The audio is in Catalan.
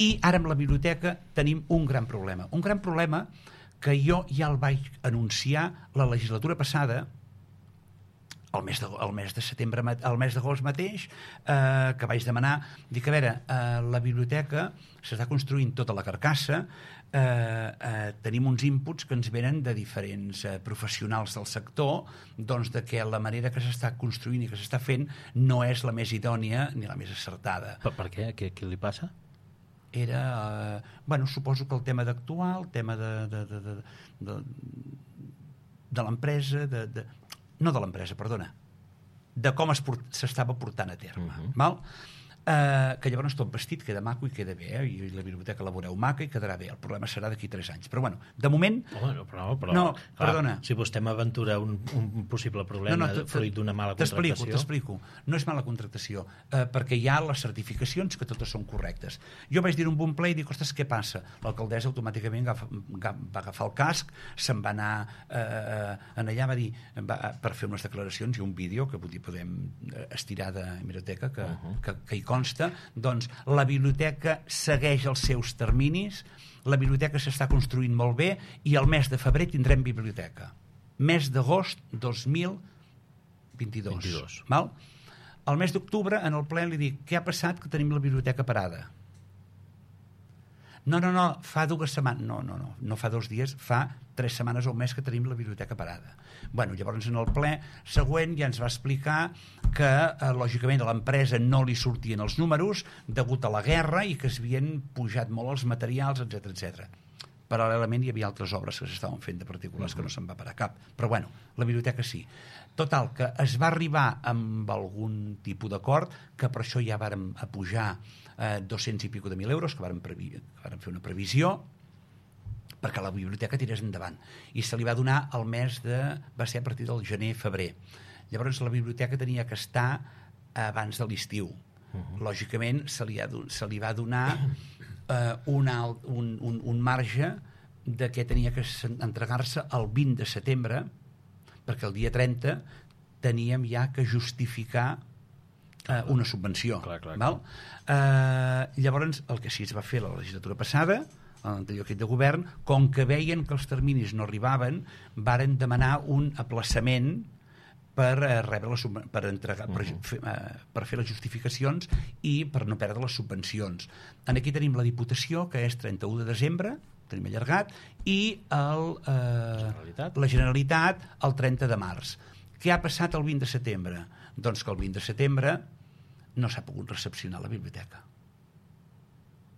I ara amb la biblioteca tenim un gran problema que jo ja el vaig anunciar la legislatura passada, el mes de setembre, el mes d'agost mateix, que vaig demanar, dic, a veure, la biblioteca s'està construint tota la carcassa, tenim uns inputs que ens venen de diferents professionals del sector, doncs de que la manera que s'està construint i que s'està fent no és la més idònia ni la més acertada. Per què? Què li passa? Era, suposo que el tema d'actuar, el tema de l'empresa, no de l'empresa, perdona, de com s'estava portant a terme. Val? Que llavors tot vestit queda maco i queda bé, i la biblioteca la veureu maca i quedarà bé. El problema serà d'aquí 3 anys. Però de moment... Però, no, clar, perdona. Si vostè m'aventura un possible problema fruit d'una mala contractació... T'explico. No és mala contractació, perquè hi ha les certificacions que totes són correctes. Jo vaig dir un bon ple i dic, ostres, què passa? L'alcaldessa automàticament va agafar el casc, se'n va anar allà, va dir, per fer unes declaracions i un vídeo que podem estirar de biblioteca que hi consta, doncs la biblioteca segueix els seus terminis, la biblioteca s'està construint molt bé i el mes de febrer tindrem biblioteca. Mes d'agost 2022. Val? El mes d'octubre, en el ple, li dic, què ha passat que tenim la biblioteca parada? No, fa 2 setmanes. No fa 2 dies, fa 3 setmanes o un mes que tenim la biblioteca parada. Llavors en el ple següent ja ens va explicar que lògicament a l'empresa no li sortien els números degut a la guerra i que s'havien pujat molt els materials, etc. Paral·lelament hi havia altres obres que s'estaven fent de particulars que no se'n va parar cap. Però la biblioteca sí. Total, que es va arribar amb algun tipus d'acord, que per això ja vàrem pujar 200 i pico de 1.000 euros, que vàrem fer una previsió, perquè la biblioteca tirés endavant. I se li va donar el mes va ser a partir del gener-febrer. Llavors la biblioteca tenia que estar abans de l'estiu. Lògicament se li va donar un marge de que tenia que entregar-se el 20 de setembre, perquè el dia 30 teníem ja que justificar una subvenció. Val? Llavors el que sí es va fer la legislatura passada, a l'anterior equip de govern, com que veien que els terminis no arribaven, varen demanar un aplaçament per fer les justificacions i per no perdre les subvencions. Aquí tenim la Diputació, que és 31 de desembre, tenim allargat, i la Generalitat el 30 de març. Què ha passat el 20 de setembre? Doncs que el 20 de setembre no s'ha pogut recepcionar la biblioteca.